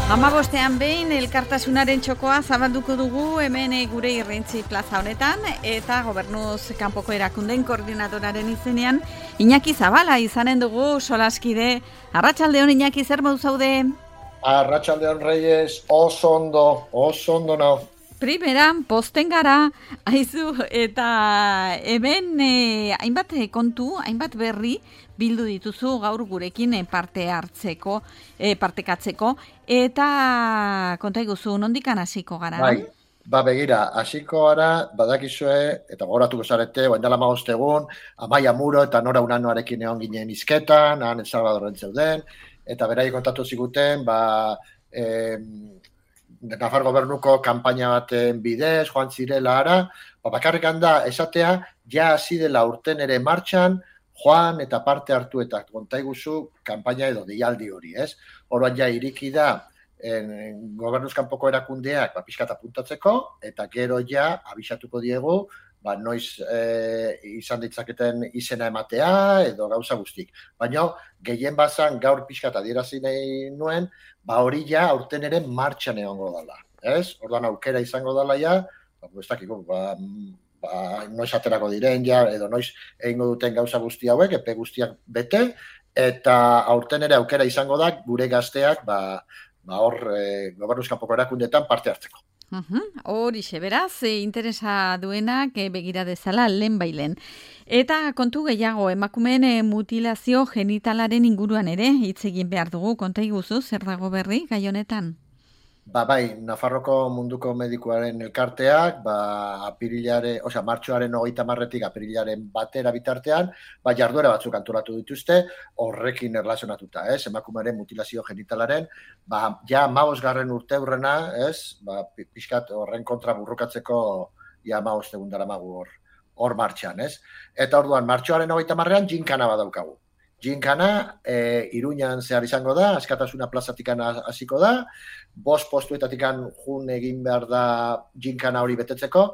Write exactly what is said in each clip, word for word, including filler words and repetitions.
Hamabostean behin elkartasunaren txokoa zabalduko dugu hemen gure Irrintzi plaza honetan eta gobernuz kanpoko erakundeen koordinadoraren izenean Iñaki Zabala izanen dugu solaskide. Arratsaldeon Iñaki, zer modu zaude? Arratsaldeon Reyes, oso ondo, oso ondo nao. Primeran, posten gara, aizu, eta hemen eh, hainbat kontu, hainbat berri bildu dituzu gaur gurekin eh, parte hartzeko, eh, partekatzeko, eta konta iguzu, nondikan hasiko gara? Bai, ba begira, hasiko gara, badakizue, eta gogoratuko zarete, oain dela hamabost egun, Amaia Muro eta Nora Unanoarekin egon ginen izketan, han El Salvadorren zeuden, eta berai kontatu ziguten, ba... Eh, Nafar gobernuko kanpaina baten bidez, joan zirela ara, ba, bakarrik handa esatea, ja hasi dela urten ere martxan, joan eta parte hartu eta kontaiguzu kanpaina edo deialdi hori, ez? Orduan ja iriki da en, gobernuz kanpoko erakundeak ba, pixkat apuntatzeko, eta gero ja abisatuko diegu, ba, noiz e, izan ditzaketen izena ematea edo gauza guztik. Baina gehien bazan gaur pixkat adierazi nahi nuen, ba hori ja aurten ere martxan egongo dela, ez? Orduan aukera izango dela ja, ba, ez dakiko, ba, ba, noiz aterako diren ja, edo noiz egingo duten gauza guzti hauek, epe guztiak bete, eta aurten ere aukera izango da gure gazteak, ba, ba hor e, gobernuz kanpoko erakundeetan parte hartzeko. Horixe, beraz, e, interesa duenak e, begira dezala lehen bailen. Eta kontu gehiago, emakumeen e, mutilazio genitalaren inguruan ere hitz egin behar dugu, konta iguzu, zer dago berri gai honetan? Ba, bai, Nafarroko munduko medikuaren elkarteak, ba, apirilare, osea, martxoaren hogeita marretik apirilaren batera bitartean, ba, jarduera batzuk antolatu dituzte, horrekin erlazionatuta, ez, emakumearen mutilazio genitalaren, ba, ja, hamabosgarren urteurrena, ez, ba, pixkat horren kontra burrukatzeko, ja, hamabost egun daramagu hor, hor martxan, ez. Eta orduan, martxoaren hogeita marrean, jinkana badaukagu. Jinkana, e, Iruñan zehar izango da, Askatasuna plazatikan hasiko da, bost postuetatikan jun egin behar da jinkana hori betetzeko,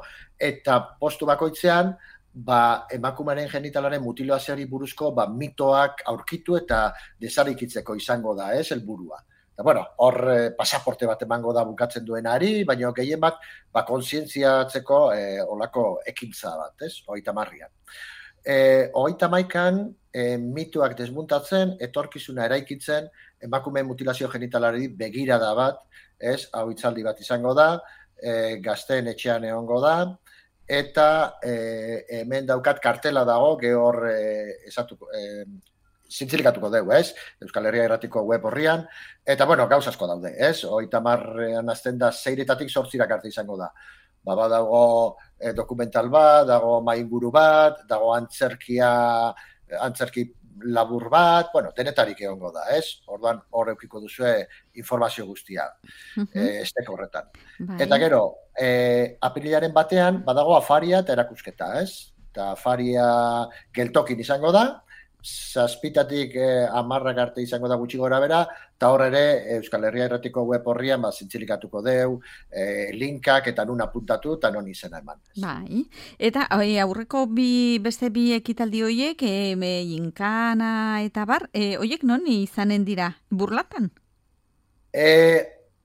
eta postu bakoitzean, ba, emakumearen genitalaren mutilazioari buruzko ba, mitoak aurkitu eta desarikitzeko izango da, ez, helburua. Eta, bueno, hor eh, pasaporte bat emango da bukatzen duenari, baina gehien bat, ba, kontzientziatzeko eh, olako ekintza bat, ez, hogeita marrian. E, hogeita maikan e, mituak desmuntatzen, etorkizuna eraikitzen, emakumeen mutilazio genitalari begirada bat, ez, hau hitzaldi bat izango da, e, gazteen etxean egongo da, eta e, hemen daukat kartela dago, gehor e, esatuko, e, zintzilikatuko dugu, ez, Euskal Herria Irratiko web horrian, eta, bueno, gauz asko daude, ez, hogeita marrean azten da, zeiretatik sortzirak arte izango da. Ba, dago e, dokumental bat, dago mainguru bat, dago antzerkia, antzerki labur bat, bueno, denetarik egongo da, ez? Orduan hor eukiko duzue informazio guztia, uh-huh. e, esteko horretan. Bai. Eta gero, e, apirilaren batean, badago afaria eta erakusketa, ez? Eta afaria geltokin izango da, zazpitatik eh, amarrak arte izango da gutxi gora bera, eta hor ere Euskal Herria Irratiko web horrian ba, zintzilikatuko deu, eh, linkak eta nun apuntatu eta non izena eman. Bai, eta oi, aurreko bi, beste bi ekitaldi horiek, e, jinkana eta bar, e, horiek non izanen dira, burlatan? E,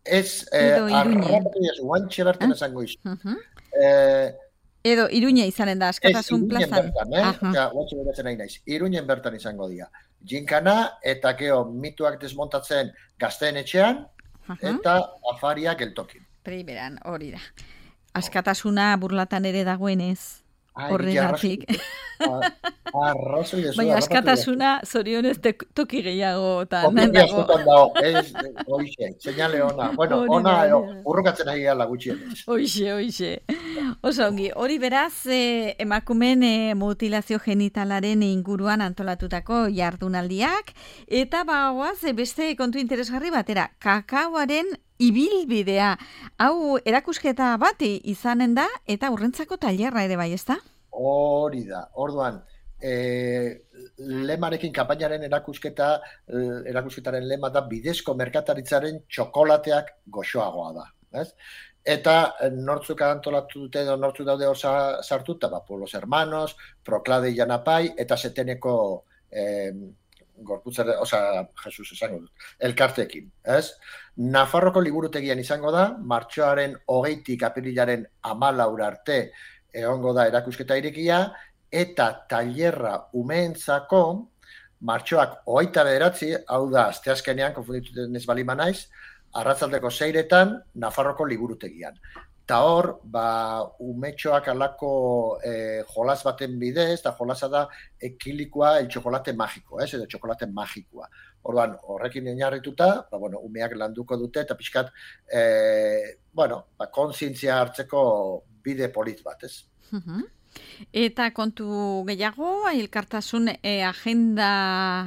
ez, arrapatu ez, guantxe bertan esango izu. Uh-huh. E, Edo Iruña izanen da, Askatasun plazan. Ez, Iruñen bertan, eh? Guatxe beretzen nahi naiz. Iruñen bertan izango dira. Jinkana eta geo mituak desmontatzen gazteen etxean, uh-huh. eta afaria geltokin. Primeran, hori da. Askatasuna burlatan ere dagoenez. Horregatik. Arrazoi dezu. Baina askatasuna zorionez toki gehiago. Okia zutan dago. Ez, oixe, señale ona. Bueno, ona, urrukatzen ari gala gutxienez. Oixe, oixe. Oso ongi, hori beraz, eh, emakumen eh, mutilazio genitalaren inguruan antolatutako jardunaldiak, eta bagoaz, eh, beste kontu interesgarri batera, kakaoaren ibilbidea. Hau erakusketa bat izanen da, eta urrentzako tailerra ere bai, ezta? Hori da, orduan, e, lemarekin kampainaren erakusketa, erakusketaren lema da bidezko merkataritzaren txokolateak goxoagoa da, ez? Eta nortzuk antolatu dute edo nortzuk daude hor sartuta, ba, Pueblos Hermanos, Proclade Janapai, eta Seteneko eh, gorputzare, osea, Jesus esango dut, elkarteekin, ez? Nafarroko liburutegian izango da, martxoaren hogeitik apirilaren hamalaura arte egongo da erakusketa irekia, eta tailerra umeentzako martxoak hogeita bederatzi, hau da, asteazkenean, konfundituten ez balima naiz, arratzaldeko seiretan, Nafarroko liburutegian. Eta hor, ba, umetxoak alako eh, jolas baten bidez, eta jolasa da ekilikoa el txokolate magiko, ez, edo txokolate magikoa. Orduan, horrekin oinarrituta, ba, bueno, umeak landuko dute, eta pixkat, eh, bueno, ba, kontzientzia hartzeko bide polit bat, ez? Uh-huh. Eta kontu gehiago, elkartasun e, agenda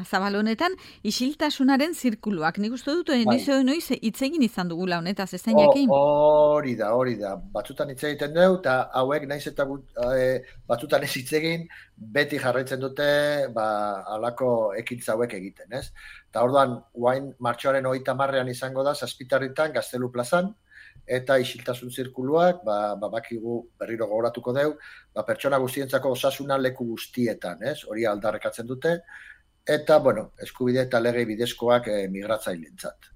zabalonetan, isiltasunaren zirkuluak. Nik uste dut, bai. noiz noiz itzegin izan dugula honetaz, ez da jakin? Hori da, hori da. Batzutan hitz egiten dugu, eta hauek naiz eta e, batzutan ez hitzegin, beti jarraitzen dute ba, alako ekintza hauek egiten, ez? Eta orduan, guain martxoaren hogeita hamarrean izango da, Zazpitarritan, Gaztelu plazan, eta isiltasun zirkuluak, ba, ba, bakigu berriro gogoratuko deu, ba, pertsona guztientzako osasuna leku guztietan, ez? Hori aldarrekatzen dute, eta, bueno, eskubide eta lege bidezkoak e, migratzaileentzat.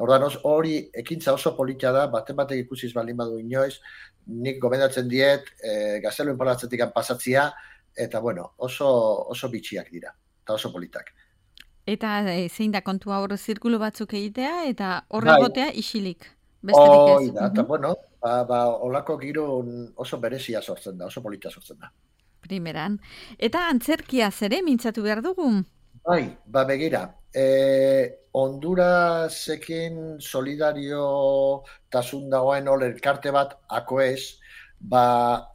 Ordan hori ekintza oso polita da, baten batek ikusiz baldin badu inoiz, nik gomendatzen diet, e, Gaztelu enpalatzetik pasatzia, eta, bueno, oso, oso bitxiak dira, eta oso politak. Eta e, zein da kontua hor zirkulu batzuk egitea, eta horre gotea isilik. Hoi da, eta bueno, ba, ba, olako giro oso berezia sortzen da, oso polita sortzen da. Primeran. Eta antzerkia zere mintzatu behar dugu? Bai, ba begira, e, Hondurasekin solidario tasun dagoen ol elkarte bat akoez, ba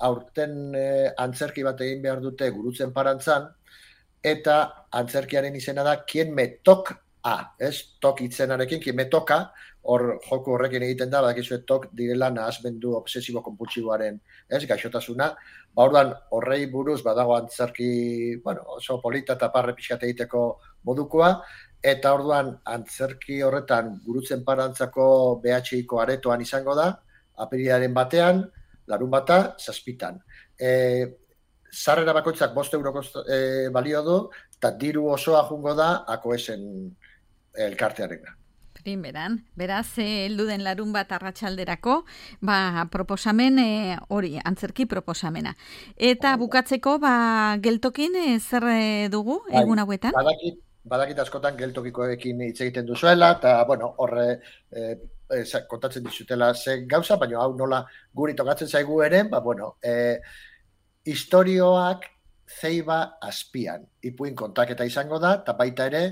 aurten e, antzerki bat egin behar dute Gurutzen Parantzan, eta antzerkiaren izena da Kien me tok a, ez? Tok itzenarekin, Kien me toka, hor joku horrekin egiten da, badakizu tok direla nahasmendu obsesibo konpultsiboaren, ez, gaixotasuna. Ba, orduan, horrei buruz badago antzerki, bueno, oso polita eta parre pixkat egiteko modukoa, eta orduan antzerki horretan Gurutzen Parantzako B H Iko aretoan izango da, apirilaren batean, larun bata, zazpitan. E, Sarrera bakoitzak bost euroko e, balio du, eta diru osoa jungo da, akoesen elkartearena. Primeran, beraz, heldu den larun bat arratsalderako, ba, proposamen hori, e, antzerki proposamena. Eta bukatzeko, ba, geltokin e, zer dugu egun hauetan? Badakit, badakit askotan geltokikoekin hitz egiten duzuela, eta, bueno, horre e, e, kontatzen dizutela ze gauza, baina hau nola guri tokatzen zaigu ere, ba, bueno, e, istorioak zeiba azpian. Ipuin kontaketa izango da, eta baita ere,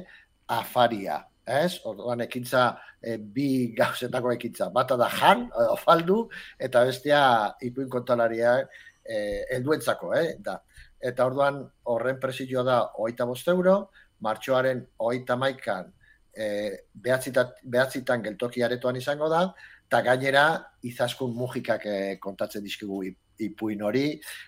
afaria. Ez, orduan ekintza e, bi gauzetako ekintza. Bata da jan, ofaldu, eta bestea ipuin kontalaria e, helduentzako, eh? Da. Eta orduan horren presioa da hogeita bost euro, martxoaren hogeita hamaikan e, behatzitan geltoki aretoan izango da, eta gainera izaskun mugikak e, kontatzen dizkigu ipuin hori,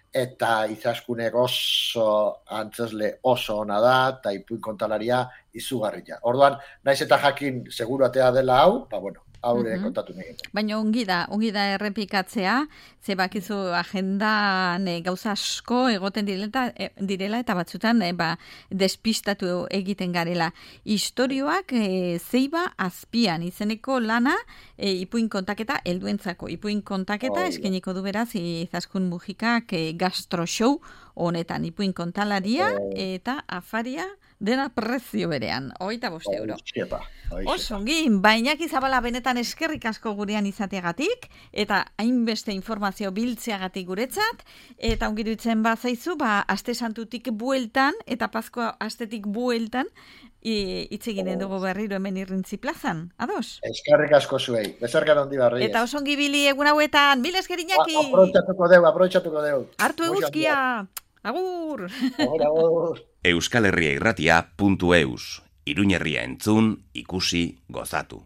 eta izaskunek oso antzesle oso ona da, eta ipuin kontalaria izugarria. Orduan, naiz eta jakin seguru atea dela hau, ba bueno, haure uh-huh. kontatu nahi. Baina ongi da, ongi da errepikatzea, ze bakizu agendan e, gauza asko egoten direla, e, direla eta batzutan e, ba, despistatu egiten garela. Istorioak e, zeiba azpian, izeneko lana e, ipuin kontaketa helduentzako. Ipuin kontaketa oh, eskeniko du beraz izaskun mugikak e, gastro show honetan, ipuin kontalaria oh. eta afaria dena prezio berean, hogeita bost euro. Oso, ongi, bainak izabala benetan eskerrik asko gurean izateagatik, eta hainbeste informazio biltzeagatik guretzat, eta ongi dutzen bazaizu, ba, aste santutik bueltan, eta Paskoa astetik bueltan, hitz eginen dugu berriro hemen Irrintzi plazan, ados? Eskerrik asko zuei, bezarkan ondi barri. Eta oso ongi bili egun hauetan, mil esker Iñaki! Aprobetxatuko deu, aprobetxatuko deu. Hartu eguzkia! Agur! Agur, agur! Euskal Herria Irratia puntu eus. Iruñerria entzun, ikusi, gozatu.